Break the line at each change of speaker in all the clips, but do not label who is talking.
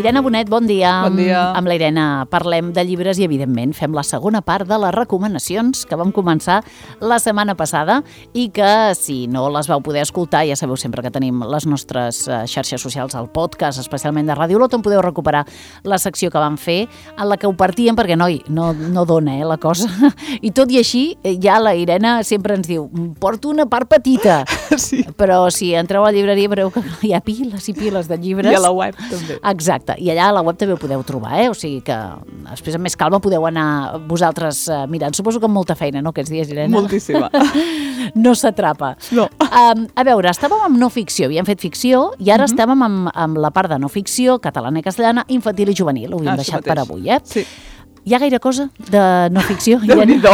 Irene Bonet, bon dia.
Bon dia.
Amb la Irene parlem de llibres i, evidentment, fem la segona part de les recomanacions que vam començar la setmana passada i que, si no les vau poder escoltar, ja sabeu sempre que tenim les nostres xarxes socials al podcast, especialment de Ràdio Olot, on podeu recuperar la secció que vam fer, en la que ho partíem, perquè, noi, no dona la cosa. I tot i així, ja la Irene sempre ens diu, porto una part petita.
Sí.
Però si entreu a la llibreria veureu que hi ha piles i piles de llibres.
I a la web, també.
Exacte. I allà a la web també ho podeu trobar, O sigui que després amb més calma podeu anar vosaltres mirant. Suposo que amb molta feina, no, aquests dies, Irene?
Moltíssima.
No s'atrapa.
No.
A veure, estàvem amb no ficció, havíem fet ficció i ara estàvem amb la part de no ficció, catalana i castellana, infantil i juvenil. Ho havíem deixat per avui,
Sí.
Hi ha gaire cosa de no ficció?
Déu-n'hi-do,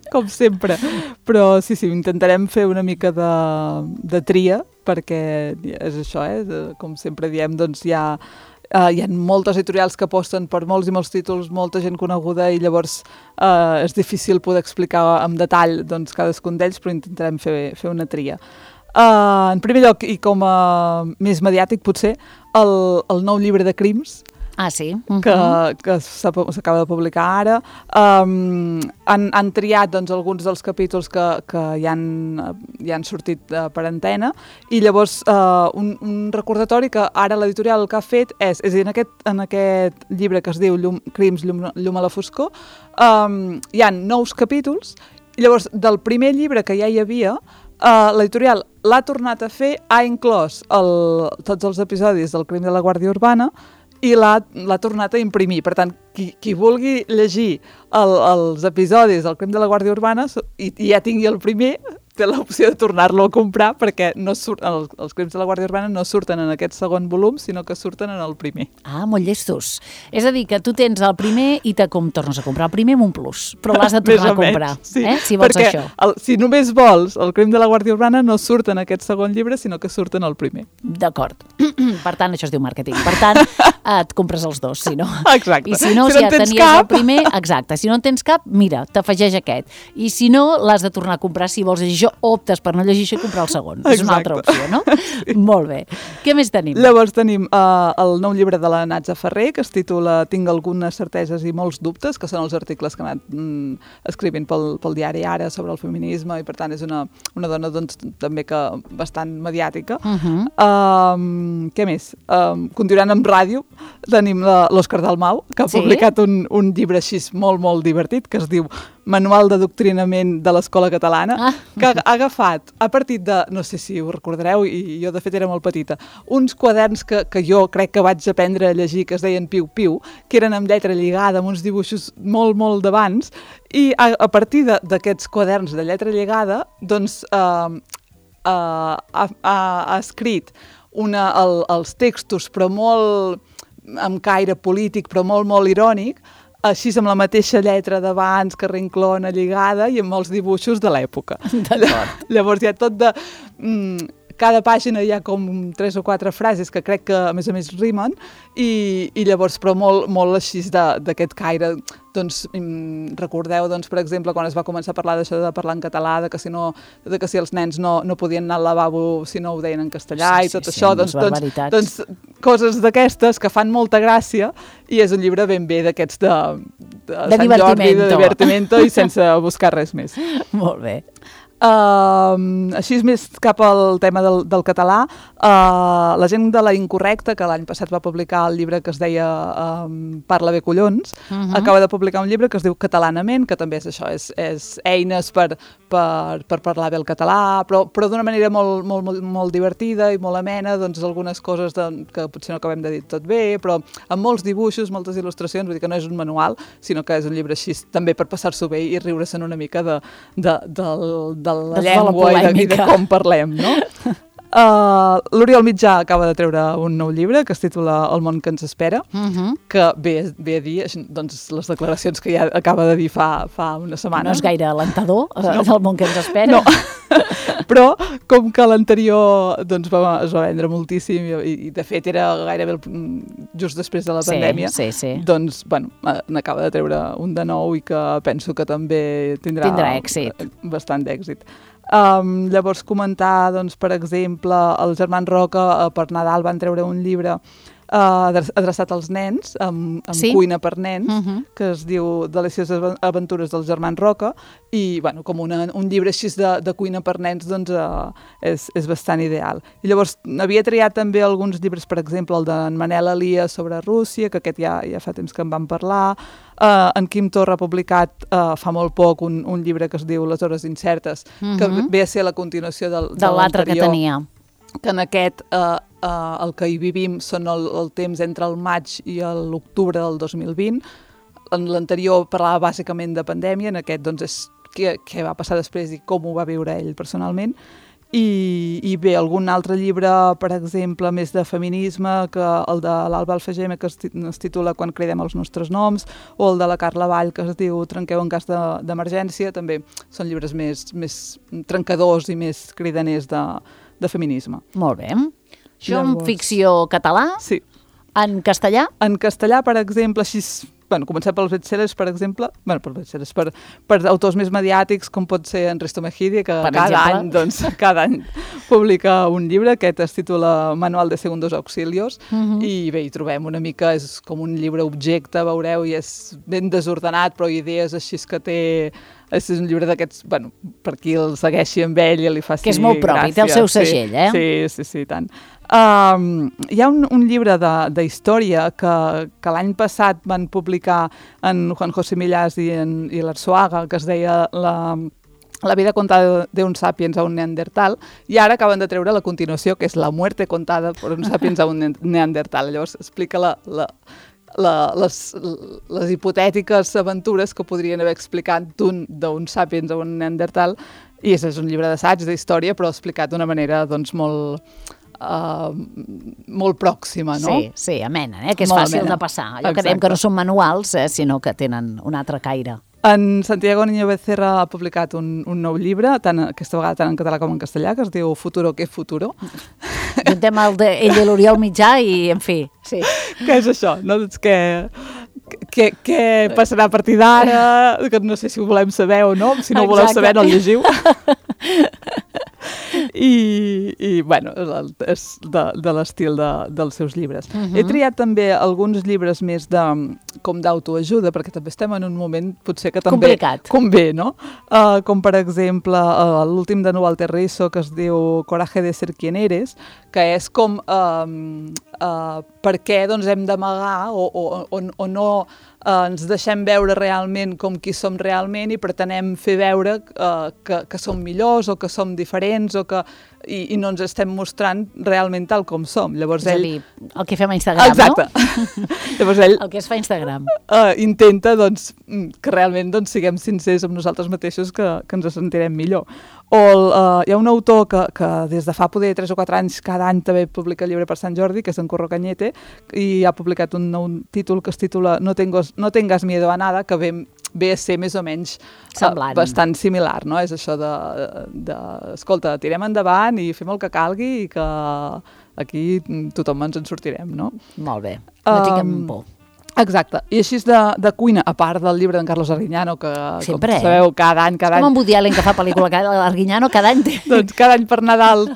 com sempre. Però sí, intentarem fer una mica de tria, perquè és això, com sempre diem, doncs hi ha moltes editorials que aposten per molts i molts títols, molta gent coneguda, i llavors és difícil poder explicar amb detall doncs, cadascun d'ells, però intentarem fer una tria. En primer lloc, i com a més mediàtic potser, el nou llibre de crims,
Ah, sí?
que s'acaba de publicar ara. Han triat doncs, alguns dels capítols que ja han sortit per antena, i llavors un recordatori que ara l'editorial el que ha fet és a dir, en aquest llibre que es diu Crims, llum a la foscor, hi ha 9 capítols, i llavors del primer llibre que ja hi havia, l'editorial l'ha tornat a fer, ha inclòs tots els episodis del Crim de la Guàrdia Urbana, i l'ha tornat a imprimir. Per tant, qui vulgui llegir els episodis del Crim de la Guàrdia Urbana i ja tingui el primer, té l'opció de tornar-lo a comprar, perquè els Crims de la Guàrdia Urbana no surten en aquest segon volum, sinó que surten en el primer.
Ah, molt llestos. És a dir, que tu tens el primer i com tornes a comprar el primer amb un plus, però l'has de tornar a comprar,
sí,
si vols
perquè
això.
Si només vols el Crim de la Guàrdia Urbana, no surten en aquest segon llibre, sinó que surten al primer.
D'acord. Per tant, això es diu màrqueting. Per tant, et compres els dos, si no.
Exacte.
I si no ja tenies el primer, exacte. Si no en tens cap, mira, t'afegeix aquest. I si no, l'has de tornar a comprar si vols llegir això, optes per no llegir això i comprar el segon.
Exacte.
És una altra opció, no? Sí. Molt bé. Què més tenim?
Llavors tenim el nou llibre de la Natza Ferrer, que es titula Tinc algunes certeses i molts dubtes, que són els articles que ha anat escrivint pel diari Ara sobre el feminisme, i per tant és una dona doncs, també que bastant mediàtica. Què més? Continuant amb ràdio, tenim l'Òscar Dalmau, que ha publicat un llibre així molt, molt divertit, que es diu Manual d'Adoctrinament de l'Escola Catalana, que ha agafat, a partir de, no sé si ho recordareu, i jo de fet era molt petita, uns quaderns que jo crec que vaig aprendre a llegir, que es deien Piu Piu, que eren amb lletra lligada, amb uns dibuixos molt, molt d'abans, i a partir d'aquests quaderns de lletra lligada, doncs ha escrit els textos, però molt amb caire polític, però molt, molt irònic, així amb la mateixa lletra d'abans, que reinclona, lligada, i amb molts dibuixos de l'època.
D'acord.
Llavors hi ha tot de... Cada pàgina hi ha com 3 o 4 frases que crec que a més rimen, i llavors, però molt així d'aquest caire. Doncs recordeu, doncs, per exemple, quan es va començar a parlar d'això de parlar en català, de que si els nens no podien anar al lavabo si no ho deien en castellà, i tot això, doncs coses d'aquestes que fan molta gràcia, i és un llibre ben bé d'aquests de Sant Jordi, de divertimento, i sense buscar res més.
Molt bé.
Així més cap al tema del català, la gent de La Incorrecta, que l'any passat va publicar el llibre que es deia Parla bé collons, acaba de publicar un llibre que es diu Catalanament, que també és això, és eines per parlar bé el català, però d'una manera molt, molt, molt divertida i molt amena, doncs algunes coses que potser no acabem de dir tot bé, però amb molts dibuixos, moltes il·lustracions, vull dir que no és un manual, sinó que és un llibre així també per passar-s'ho bé i riure-se'n una mica de la llengua i de com parlem, no? L'Oriol Mitjà acaba de treure un nou llibre que es titula El món que ens espera, que ve a dir doncs, les declaracions que ja acaba de dir fa una setmana.
No és gaire alentador, el món que ens espera.
No, però com que l'anterior doncs, es va vendre moltíssim i de fet era gairebé just després de la pandèmia, doncs bueno, n'acaba de treure un de nou i que penso que també tindrà
èxit.
Bastant d'èxit. Llavors comentar, doncs, per exemple, els germans Roca per Nadal van treure un llibre adreçat als nens, amb cuina per nens, que es diu Delicioses aventures dels germans Roca, i bueno, com un llibre així de cuina per nens doncs és bastant ideal. I llavors havia triat també alguns llibres, per exemple el d'en Manel Elias sobre Rússia, que aquest ja fa temps que en vam parlar. En Quim Torra ha publicat fa molt poc un llibre que es diu Les hores incertes, que ve a ser la continuació de
l'altre que tenia.
Que en aquest el que hi vivim són el temps entre el maig i l'octubre del 2020. En l'anterior parlava bàsicament de pandèmia, en aquest doncs és què va passar després i com ho va viure ell personalment. I bé, algun altre llibre, per exemple, més de feminisme, que el de l'Alba Alfagema, que es titula Quan cridem els nostres noms, o el de la Carla Vall, que es diu Trenqueu en cas d'emergència, també són llibres més trencadors i més cridaners de feminisme.
Molt bé. Això en ficció català?
Sí.
En castellà?
En castellà, per exemple, així... Bueno, comencem pels bestsellers, per exemple, per autors més mediàtics, com pot ser en Risto Mejide, que cada any publica un llibre, aquest es titula Manual de Segundos Auxilios, i bé, hi trobem una mica, és com un llibre objecte, veureu, i és ben desordenat, però idees així que té... És un llibre d'aquests, bueno, per qui el segueixi amb ell i li faci gràcia. Que
és molt propi, té el seu segell,
Sí, tant. Hi ha un llibre d'història que l'any passat van publicar en Juan José Millás i l'Arzuaga, que es deia La vida contada de un sapiens a un neandertal, i ara acaben de treure la continuació, que és La muerte contada por un sapiens a un neandertal. Llavors explica les hipotètiques aventures que podrien haver explicat d'un sapiens a un neandertal, i és un llibre d'assaig, d'història, però explicat d'una manera doncs molt pròxima, no?
Sí, amena, que és fàcil de passar. Allò que dèiem que no són manuals, sinó que tenen un altre caire.
En Santiago Niño Becerra ha publicat un nou llibre, aquesta vegada tant en català com en castellà, que es diu Futuro que futuro.
Juntem ell i l'Oriol Mitjà i, en fi, sí.
Què és això? No? Doncs què passarà a partir d'ara? Que no sé si ho volem saber o no. Si no ho voleu saber, no el llegiu. I bueno, és de l'estil dels seus llibres. He triat també alguns llibres més com d'autoajuda, perquè també estem en un moment potser que també convé, no? Com per exemple l'últim de Walter Rizzo, que es diu Coraje de ser quien eres, que és com per què doncs, hem d'amagar o no ens deixem veure realment com qui som realment i pretenem fer veure que som millors o que som diferents i no ens estem mostrant realment tal com som. Llavors
és a dir, el que fem a Instagram,
exacte. No? Llavors ell
el que es fa a Instagram.
Intenta doncs, que realment doncs, siguem sincers amb nosaltres mateixos, que ens sentirem millor. O hi ha un autor que des de fa poder 3 o 4 anys cada any també publica llibre per Sant Jordi, que és en Curro Cañete, i ha publicat un nou títol que es titula No tengas miedo a nada, que ve a ser més o menys bastant similar, no? És això escolta, tirem endavant i fem el que calgui i que aquí tothom ens en sortirem, no?
Molt bé, no tinguem por.
Exacte, i així de cuina, a part del llibre d'en Carlos Arguiñano, que
sempre,
com sabeu, cada any...
Com en Woody Allen, que fa pel·lícula, Arguiñano cada any té...
Doncs cada any per Nadal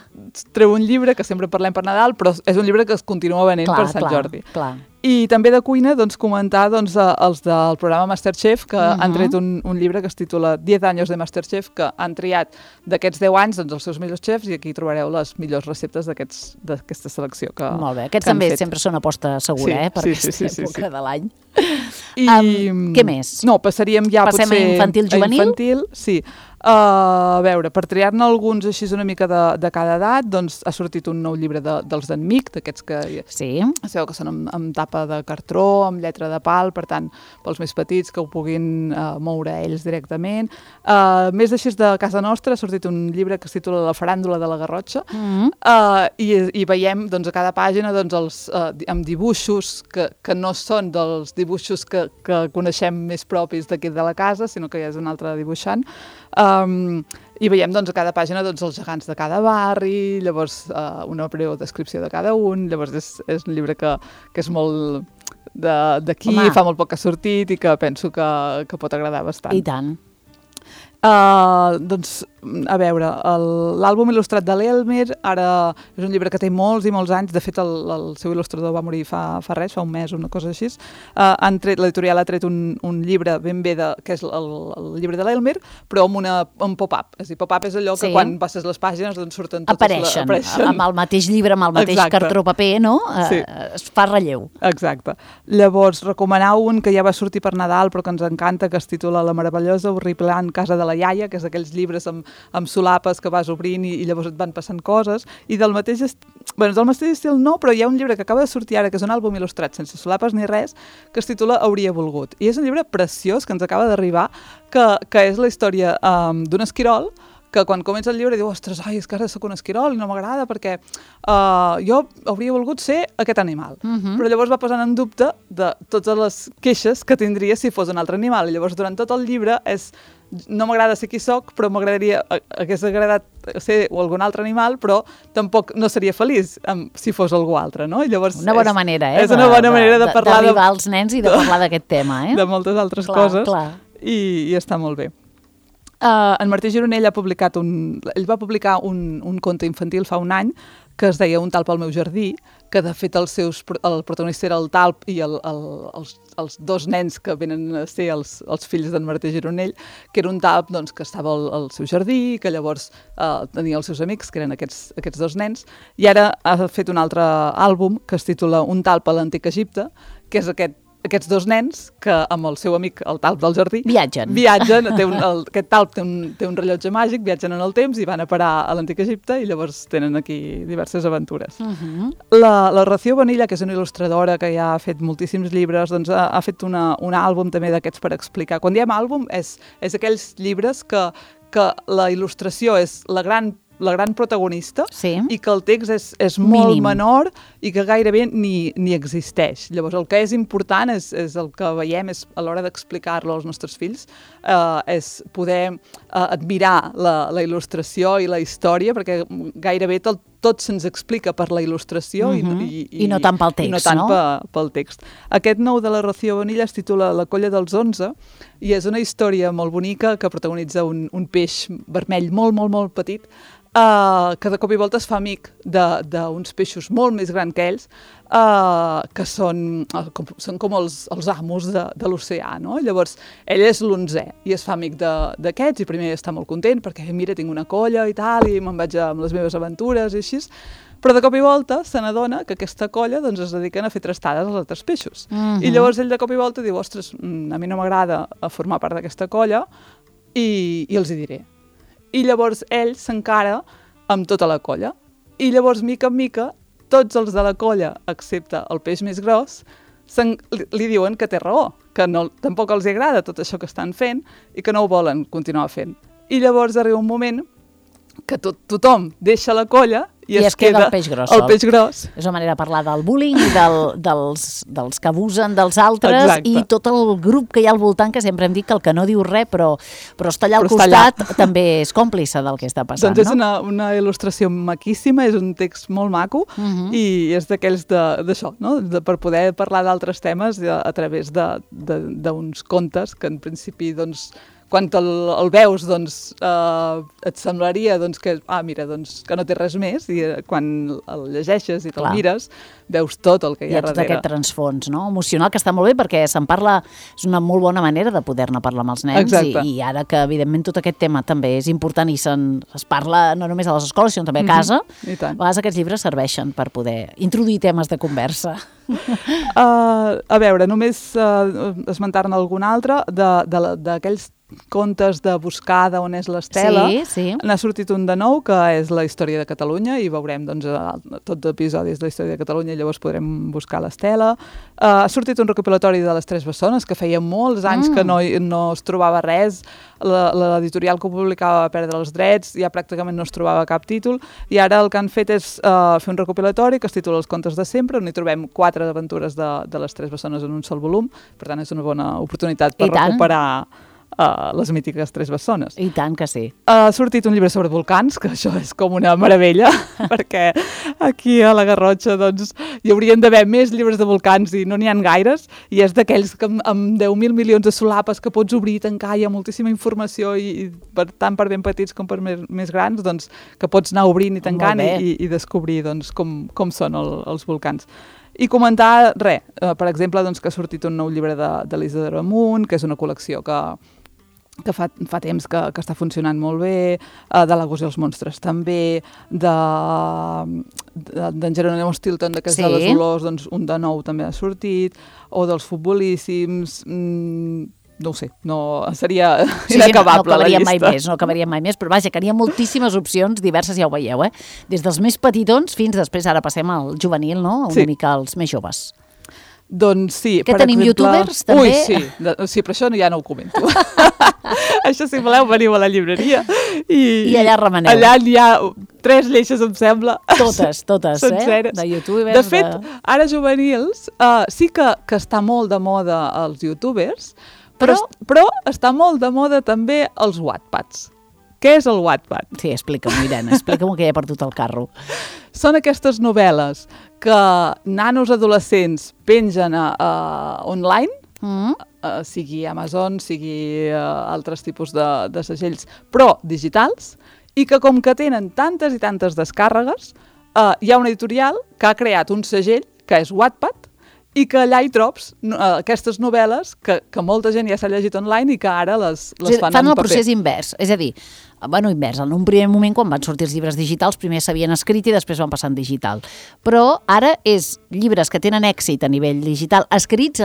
treu un llibre, que sempre parlem per Nadal, però és un llibre que es continua venent per Sant Jordi.
Clar.
I també de cuina, doncs, comentar els del programa Masterchef, que han tret un llibre que es titula 10 anys de Masterchef, que han triat d'aquests 10 anys doncs, els seus millors xefs, i aquí trobareu les millors receptes d'aquesta selecció.
Molt bé, aquests també sempre són aposta segura, per aquesta època de l'any.
I
què més?
No, passaríem ja
potser a infantil-juvenil?
A infantil, sí. A veure, per triar-ne alguns així una mica de cada edat, doncs ha sortit un nou llibre dels d'en Mic, d'aquests que sabeu que són amb tapa de cartró, amb lletra de pal, per tant, pels més petits que ho puguin moure ells directament. Més així de casa nostra ha sortit un llibre que es titula La faràndula de la Garrotxa, i veiem doncs, a cada pàgina doncs, amb dibuixos que no són dels dibuixos que coneixem més propis d'aquí de la casa, sinó que ja és un altre dibuixant. I veiem doncs, a cada pàgina doncs, els gegants de cada barri, llavors una breu descripció de cada un, llavors és un llibre que és molt d'aquí, fa molt poc que ha sortit i que penso que pot agradar bastant.
I tant.
Doncs, a veure, l'àlbum il·lustrat de l'Elmer, ara és un llibre que té molts i molts anys, de fet el seu il·lustrador va morir fa res, fa un mes o una cosa així. L'editorial ha tret un llibre ben bé, que és el llibre de l'Elmer, però amb un pop-up. És a dir, pop-up és allò que quan passes les pàgines doncs surten totes...
Apareixen amb el mateix llibre, amb el mateix cartró paper, no? Es fa relleu.
Exacte. Llavors, recomanar un que ja va sortir per Nadal, però que ens encanta, que es titula La meravellosa, horriplant casa de la iaia, que és d'aquells llibres amb solapes que vas obrint i llavors et van passant coses, i del mateix estil no, però hi ha un llibre que acaba de sortir ara, que és un àlbum il·lustrat sense solapes ni res, que es titula Hauria volgut, i és un llibre preciós que ens acaba d'arribar, que és la història d'un esquirol que quan comença el llibre diu, ostres, és que ara soc un esquirol i no m'agrada perquè jo hauria volgut ser aquest animal. Però llavors va posant en dubte de totes les queixes que tindria si fos un altre animal. I llavors durant tot el llibre no m'agrada ser qui soc, però hagués agradat ser algun altre animal, però tampoc no seria feliç si fos algú altre, no? I llavors
una bona manera,
és una bona manera de parlar
d'arribar als nens i de parlar d'aquest tema,
de moltes altres coses. I està molt bé. En Martí Gironell va publicar un conte infantil fa un any que es deia Un talp al meu jardí, que de fet el protagonista era el talp i els dos nens que venen a ser els fills d'en Martí Gironell, que era un talp doncs, que estava al seu jardí, que llavors tenia els seus amics, que eren aquests dos nens, i ara ha fet un altre àlbum que es titula Un talp a l'antic Egipte, que és aquests dos nens que amb el seu amic, el talp del jardí,
viatgen.
Aquest talp té un rellotge màgic, viatgen en el temps i van a parar a l'antic Egipte i llavors tenen aquí diverses aventures. La Rocío Bonilla, que és una il·lustradora que ja ha fet moltíssims llibres, doncs ha fet un àlbum també d'aquests per explicar. Quan diem àlbum és aquells llibres que la il·lustració és la gran protagonista i que el text és molt menor i que gairebé ni existeix. Llavors el que és important és el que veiem és a l'hora d'explicar-lo als nostres fills, és poder admirar la il·lustració i la història, perquè gairebé tot se'ns explica per la il·lustració
i no tant pel text,
i no tant pel text. Aquest nou de la Rocío Bonilla es titula La colla dels 11 i és una història molt bonica que protagonitza un peix vermell molt, molt, molt petit que de cop i volta es fa amic d'uns peixos molt més grans que ells, que són com els amos de l'oceà, no? Llavors, ell és l'11è i es fa amic d'aquests i primer està molt content perquè, mira, tinc una colla i tal, i me'n vaig amb les meves aventures i així, però de cop i volta se n'adona que aquesta colla doncs, es dediquen a fer trastades als altres peixos. I llavors ell de cop i volta diu, ostres, a mi no m'agrada formar part d'aquesta colla i els hi diré. I llavors ell s'encara amb tota la colla. I llavors, mica en mica, tots els de la colla, excepte el peix més gros, li diuen que té raó, que tampoc els agrada tot això que estan fent i que no ho volen continuar fent. I llavors arriba un moment que tothom deixa la colla i es queda el peix gros.
És una manera de parlar del bullying i dels que abusen dels altres. Exacte. I tot el grup que hi ha al voltant, que sempre hem dit que el que no diu res però està allà al costat, també és còmplice del que està passant.
Doncs és una il·lustració maquíssima, és un text molt maco i és d'aquells d'això, no? Per poder parlar d'altres temes a través d'uns contes que en principi doncs quan el veus, doncs, et semblaria que no té res més, i quan el llegeixes i te'l mires, veus tot el que hi ha darrere.
Tot aquest transfons, no? Emocional, que està molt bé, perquè se'n parla, és una molt bona manera de poder-ne parlar amb els nens, i ara que, evidentment, tot aquest tema també és important i es parla no només a les escoles, sinó també a casa, a vegades aquests llibres serveixen per poder introduir temes de conversa.
A veure, només esmentar-ne algun altre d'aquells contes de Buscada, on és l'Estela. N'ha sortit un de nou, que és la història de Catalunya, i veurem tots episodis de la història de Catalunya, i llavors podrem buscar l'Estela. Ha sortit un recopilatori de les Tres Bessones, que feia molts anys que no es trobava res. L'editorial que ho publicava va perdre els drets, ja pràcticament no es trobava cap títol, i ara el que han fet és fer un recopilatori que es titula Els contes de sempre, on hi trobem 4 aventures de les Tres Bessones en un sol volum. Per tant, és una bona oportunitat per recuperar les mítiques 3 bessones.
I tant que sí.
Ha sortit un llibre sobre volcans, que això és com una meravella, perquè aquí a la Garrotxa doncs, hi haurien d'haver més llibres de volcans i no n'hi ha gaires, i és d'aquells que amb 10.000 milions de solapes que pots obrir i tancar, hi ha moltíssima informació, i tant per ben petits com per més grans, doncs, que pots anar obrint i tancant i descobrir doncs, com són els volcans. I comentar, per exemple, doncs, que ha sortit un nou llibre de l'Isidora Amunt, que és una col·lecció que fa temps que està funcionant molt bé, de la Gos i els monstres també, d'en Jerónimo Stilton, que és de les olors, doncs un de nou també ha sortit, o dels futbolíssims, no ho sé, seria inacabable la llista.
No acabaria mai més, però vaja, que hi ha moltíssimes opcions diverses, ja ho veieu, des dels més petitons fins després, ara passem al juvenil, no? Una mica als més joves.
Doncs sí.
Que tenim youtubers, també?
Ui, sí, però això ja no ho comento. Això, si voleu, veniu a la llibreria.
I allà remeneu.
Allà hi ha 3 lleixes, em sembla.
Totes,
senceres.
De youtubers.
De fet, ara juvenils, sí que està molt de moda els youtubers, però està molt de moda també els Wattpads. Què és el Wattpad?
Sí, explica'm, Irene, explica'm que ja he perdut el carro.
Són aquestes novel·les que nanos adolescents pengen online, sigui Amazon, sigui altres tipus de segells, però digitals, i que com que tenen tantes i tantes descàrregues, hi ha una editorial que ha creat un segell, que és Wattpad, i que allà hi trobs aquestes novel·les que molta gent ja s'ha llegit online i que ara les fan en paper.
Fan el procés invers, és a dir, invers, en un primer moment quan van sortir els llibres digitals primer s'havien escrit i després van passar en digital, però ara és llibres que tenen èxit a nivell digital, escrits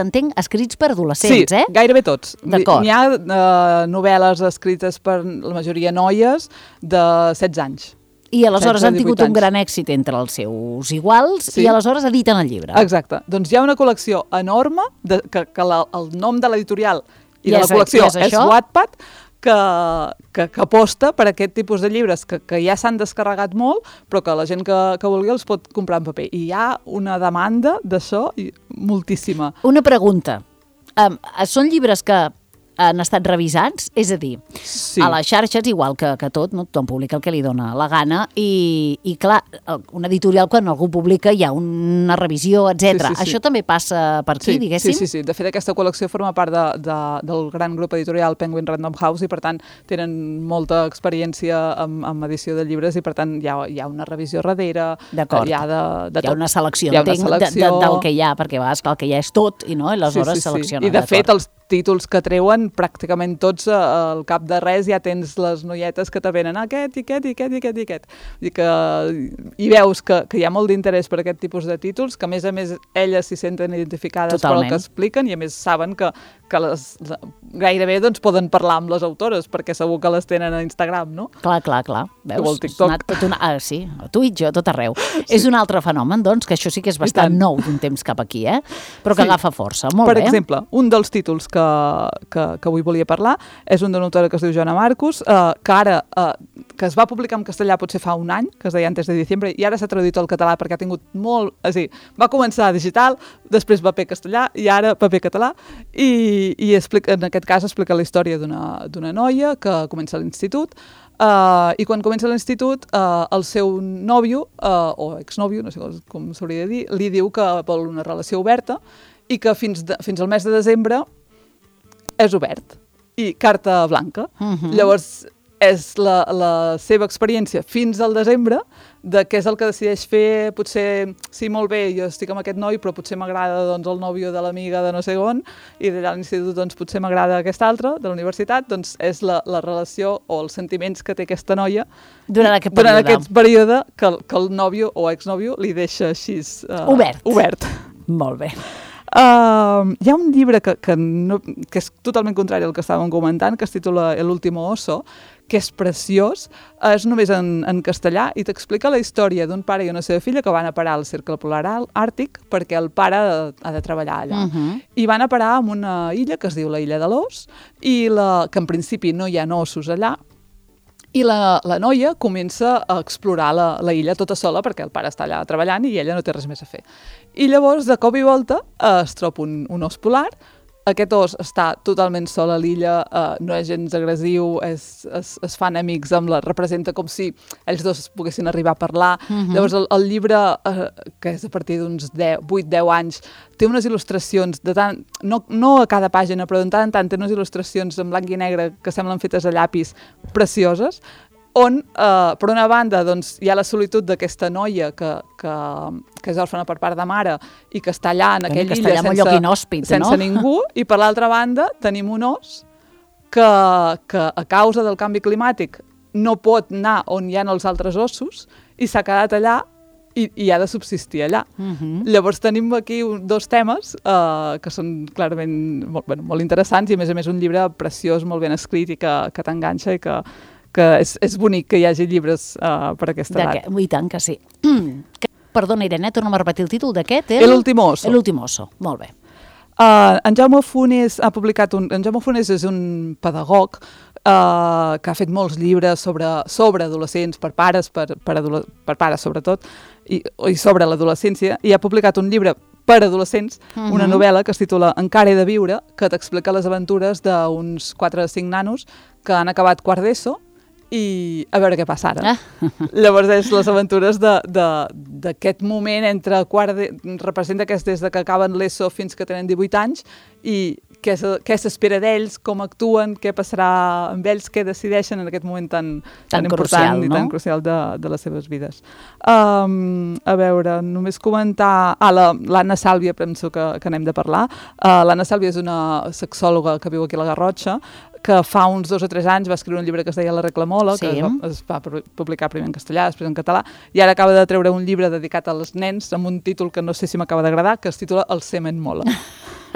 per adolescents,
Sí, gairebé tots.
D'acord.
N'hi ha novel·les escrites per la majoria noies de 16 anys.
I aleshores han tingut un gran èxit entre els seus iguals i aleshores editen el llibre.
Exacte. Doncs hi ha una col·lecció enorme que el nom de l'editorial i de la col·lecció és Wattpad, que aposta per aquest tipus de llibres que ja s'han descarregat molt, però que la gent que vulgui els pot comprar en paper. I hi ha una demanda d'això moltíssima.
Una pregunta. Són llibres que han estat revisats, és a dir, a les xarxes, igual que tot, no? Tothom publica el que li dona la gana i clar, una editorial quan algú publica hi ha una revisió, etc. Això també passa per aquí, diguéssim?
Sí. De fet, aquesta col·lecció forma part del gran grup editorial Penguin Random House i per tant tenen molta experiència en edició de llibres i per tant hi ha una revisió darrere,
d'acord.
Hi ha
una selecció, del que hi ha, perquè a vegades el que hi ha és tot i no? I aleshores selecciona.
I de fet els títols que treuen, pràcticament tots al cap de res ja tens les noietes que te venen aquest i aquest i aquest i aquest i aquest. I veus que hi ha molt d'interès per aquest tipus de títols, que a més elles s'hi senten identificades per el que expliquen i a més saben que gairebé doncs, poden parlar amb les autores perquè segur que les tenen a Instagram, no?
Clar. Veus?
O al TikTok.
Sí, a Twitch o tot arreu. És un altre fenomen, doncs, que això sí que és bastant nou d'un temps cap aquí, però que agafa força. Molt bé.
Per exemple, un dels títols que avui volia parlar és un d'una autora que es diu Joana Marcus, que ara que es va publicar en castellà potser fa un any, que es deia Antes de diciembre, i ara s'ha traduït al català perquè ha tingut molt... És a dir, va començar digital, després paper castellà i ara paper català, i en aquest cas explica la història d'una noia que comença a l'institut, i quan comença l'institut el seu nòvio, o exnòvio, no sé com s'hauria de dir, li diu que vol una relació oberta i que fins al mes de desembre és obert i carta blanca. Llavors és la seva experiència fins al desembre de què és el que decideix fer. Potser, sí, molt bé, jo estic amb aquest noi, però potser m'agrada doncs, el nòvio de l'amiga de no sé on, i d'allà a l'institut doncs, potser m'agrada aquest altre, de la universitat, doncs és la relació o els sentiments que té aquesta noia
durant aquest
període que el nòvio o exnòvio li deixa així obert.
Molt bé.
Hi ha un llibre que és totalment contrari al que estàvem comentant, que es titula El último oso, que és preciós, és només en castellà i t'explica la història d'un pare i una seva filla que van a parar al Cercle Polar Àrtic perquè el pare ha de treballar allà. I van a parar en una illa que es diu la Illa de l'Ós, i que en principi no hi ha ossos allà, i la noia comença a explorar la illa tota sola perquè el pare està allà treballant i ella no té res més a fer. I llavors, de cop i volta, es troba un os polar, aquest os està totalment sol a l'illa, no és gens agressiu, es fan amics representa com si ells dos poguessin arribar a parlar. Llavors el llibre, que és a partir d'uns 8-10 anys, té unes il·lustracions, no a cada pàgina, però de tant en tant té unes il·lustracions en blanc i negre que semblen fetes a llapis precioses, on, per una banda, doncs, hi ha la solitud d'aquesta noia que és òrfana per part de mare i que està allà en aquella illa sense ningú, i per l'altra banda tenim un os que a causa del canvi climàtic no pot anar on hi ha els altres ossos i s'ha quedat allà i ha de subsistir allà. Llavors tenim aquí dos temes que són clarament molt interessants i a més un llibre preciós, molt ben escrit i que t'enganxa i que és bonic que hi hagi llibres per aquesta edat.
I tant que sí. Perdona, Irene, torna'm a repetir el títol d'aquest.
El último oso.
El último oso, molt bé.
En Jaume Funes ha publicat en Jaume Funes és un pedagog que ha fet molts llibres sobre adolescents, per pares sobretot, i sobre l'adolescència, i ha publicat un llibre per adolescents, una novel·la que es titula Encara he de viure, que t'explica les aventures d'uns 4 o 5 nanos que han acabat quart d'ESO i a veure què passa ara. Llavors és les aventures d'aquest moment entre representa que és des que acaben l'ESO fins que tenen 18 anys i què s'espera d'ells, com actuen, què passarà amb ells, què decideixen en aquest moment tan important i tan crucial de les seves vides. A veure, només comentar... l'Anna Sàlvia, penso que n'hem de parlar. L'Anna Sàlvia és una sexòloga que viu aquí a la Garrotxa, que fa uns 2 o 3 anys va escriure un llibre que es deia La Reclamola, que es va publicar primer en castellà, després en català, i ara acaba de treure un llibre dedicat als nens amb un títol que no sé si m'acaba d'agradar, que es titula El semen mola.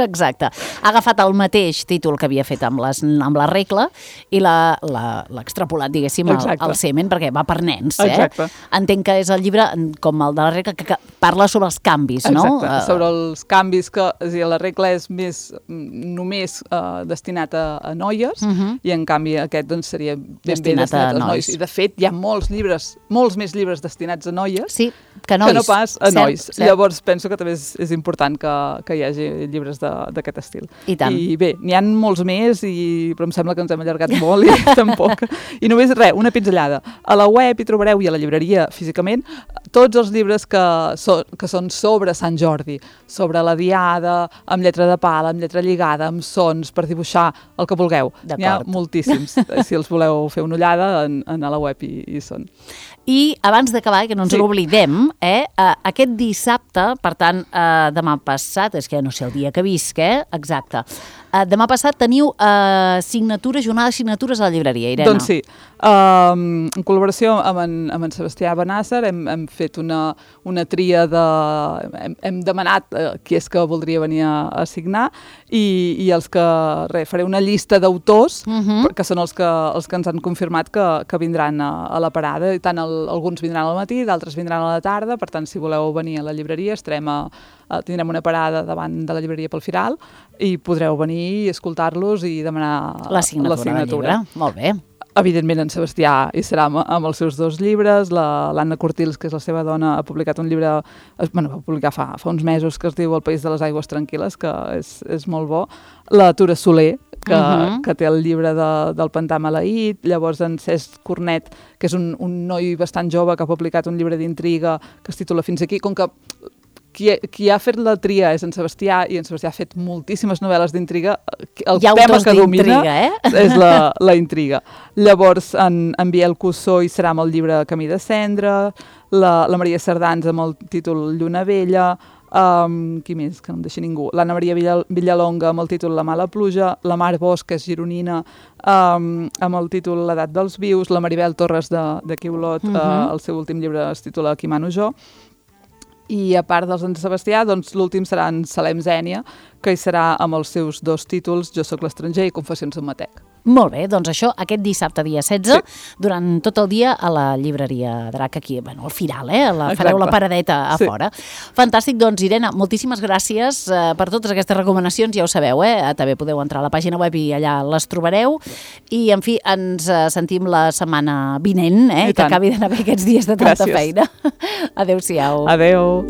Exacte. Ha agafat el mateix títol que havia fet amb la regla i l'ha extrapolat, diguéssim, al semen, perquè va per nens.
Exacte.
Entenc que és el llibre, com el de la regla, que parla sobre els canvis, no?
Exacte, sobre els canvis que... És a dir, la regla és només destinat a noies i, en canvi, aquest doncs, seria ben destinat als nois. I, de fet, hi ha molts més llibres destinats a noies que no pas a nois. Llavors, penso que també és important que hi hagi llibres d'aquest estil. I bé, n'hi ha molts més, però em sembla que ens hem allargat molt i tampoc. I només una pinzellada. A la web hi trobareu i a la llibreria físicament tots els llibres que són sobre Sant Jordi, sobre la diada, amb lletra de pala, amb lletra lligada, amb sons, per dibuixar el que vulgueu. N'hi ha moltíssims. Si els voleu fer una ullada, a la web hi són.
I abans d'acabar, que no ens l'oblidem, aquest dissabte, per tant, demà passat, és que no sé el dia que visc, exacte. Demà passat teniu jornada de signatures a la llibreria, Irene.
Doncs sí. En col·laboració amb en Sebastià Benàsser hem fet una tria hem demanat qui és que voldria venir a signar i els que faré una llista d'autors que són els que ens han confirmat que vindran a la parada, i tant alguns vindran al matí, d'altres vindran a la tarda. Per tant, si voleu venir a la llibreria, tindrem una parada davant de la llibreria pel Firal i podreu venir i escoltar-los i demanar la signatura.
Del llibre. Molt bé.
Evidentment, en Sebastià hi serà amb els seus 2 llibres. L'Anna Cortils, que és la seva dona, ha publicat un llibre, va publicar fa uns mesos, que es diu El país de les aigües tranquil·les, que és molt bo. La Tura Soler, que té el llibre del Pantà Maleït. Llavors en Cesc Cornet, que és un noi bastant jove que ha publicat un llibre d'intriga que es titula Fins aquí. Com que qui ha fet la tria és en Sebastià, i en Sebastià ha fet moltíssimes novel·les d'intriga, el tema que domina és la intriga. Llavors en Biel Cussó hi serà amb el llibre Camí de Cendra, la Maria Cerdans amb el títol Lluna Vella, qui més, que no em deixi ningú, l'Anna Maria Villalonga amb el títol La mala pluja, la Mar Bosch, que és gironina, amb el títol L'edat dels vius, la Maribel Torres d'aquí Olot, el seu últim llibre es titula Qui mano jo. I a part dels en Sebastià, doncs l'últim serà en Salem Zènia, que hi serà amb els seus 2 títols, Jo soc l'estranger i Confessions d'un matec.
Molt bé, doncs això, aquest dissabte, dia 16, durant tot el dia a la llibreria Drac, aquí, al Firal, fareu la paradeta a fora. Fantàstic, doncs, Irene, moltíssimes gràcies per totes aquestes recomanacions, ja ho sabeu, també podeu entrar a la pàgina web i allà les trobareu, i, en fi, ens sentim la setmana vinent, que acabi d'anar bé aquests dies de tanta feina. Adéu-siau.
Adéu.